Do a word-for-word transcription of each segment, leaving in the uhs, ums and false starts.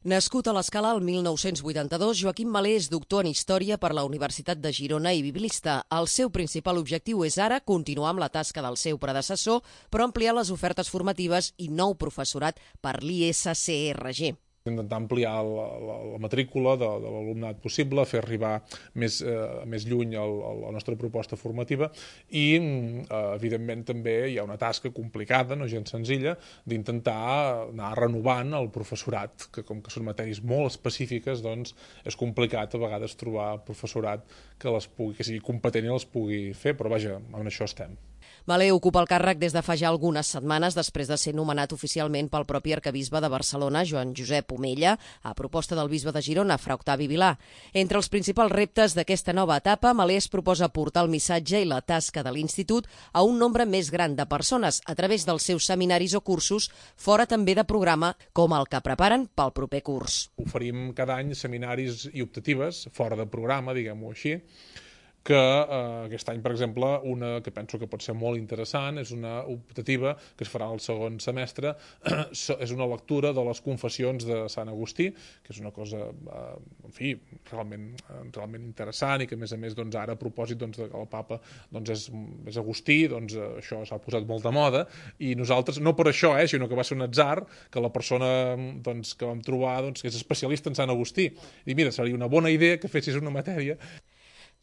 Nascut a l'Escala el mil nou-cents vuitanta-dos, Joaquim Malé és doctor en Història per la Universitat de Girona i biblista. El seu principal objectiu és ara continuar amb la tasca del seu predecessor, però ampliar les ofertes formatives i nou professorat per l'I S C R G. Intentar ampliar la, la, la matrícula de, de l'alumnat possible, fer arribar més, eh, més lluny el, el, la nostra proposta formativa i, eh, evidentment, també hi ha una tasca complicada, no gens senzilla, d'intentar anar renovant el professorat, que com que són matèries molt específiques, doncs és complicat a vegades trobar professorat que, les pugui, que sigui competent i les pugui fer, però vaja, en això estem. Malé ocupa el càrrec des de fa ja algunes setmanes després de ser nomenat oficialment pel propi arquebisbe de Barcelona, Joan Josep Omella, a proposta del bisbe de Girona, Fra Octavi Vilà. Entre els principals reptes d'aquesta nova etapa, Malé es proposa portar el missatge i la tasca de l'Institut a un nombre més gran de persones a través dels seus seminaris o cursos, fora també de programa com el que preparen pel proper curs. Oferim cada any seminaris i optatives, fora de programa, diguem-ho així, que eh, aquest any, per exemple, una que penso que pot ser molt interessant, és una optativa que es farà al segon semestre, és una lectura de les confessions de Sant Agustí, que és una cosa, eh, en fi, realment, realment interessant i que, a més a més, doncs, ara a propòsit doncs, que el papa doncs, és, és Agustí, doncs, això s'ha posat molt de moda, i nosaltres, no per això, eh, sinó que va ser un atzar, que la persona doncs, que vam trobar doncs, que és especialista en Sant Agustí, i mira, seria una bona idea que fessis una matèria.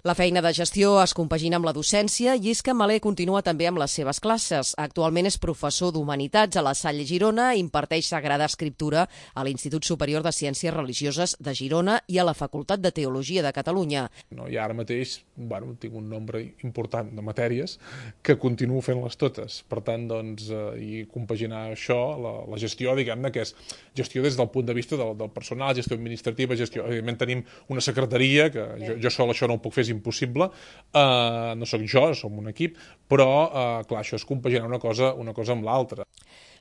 La feina de gestió es compagina amb la docència i és que Malé continua també amb les seves classes. Actualment és professor d'Humanitats a la Salle Girona i imparteix Sagrada Escriptura a l'Institut Superior de Ciències Religioses de Girona i a la Facultat de Teologia de Catalunya. No, I ara mateix bueno, tinc un nombre important de matèries que continuo fent-les totes. Per tant, doncs, eh, i compaginar això, la, la gestió, diguem-ne, que és gestió des del punt de vista del, del personal, gestió administrativa, gestió... Evidentment tenim una secretaria, que jo, jo sol això no ho puc fer, és impossible, uh, no sóc jo, som un equip, però, uh, clar, això és compaginar una cosa, una cosa amb l'altra.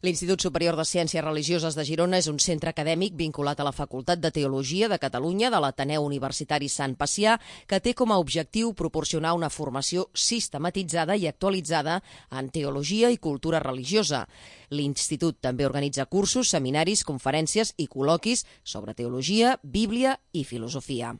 L'Institut Superior de Ciències Religioses de Girona és un centre acadèmic vinculat a la Facultat de Teologia de Catalunya de l'Ateneu Universitari Sant Pacià, que té com a objectiu proporcionar una formació sistematitzada i actualitzada en teologia i cultura religiosa. L'Institut també organitza cursos, seminaris, conferències i col·loquis sobre teologia, Bíblia i filosofia.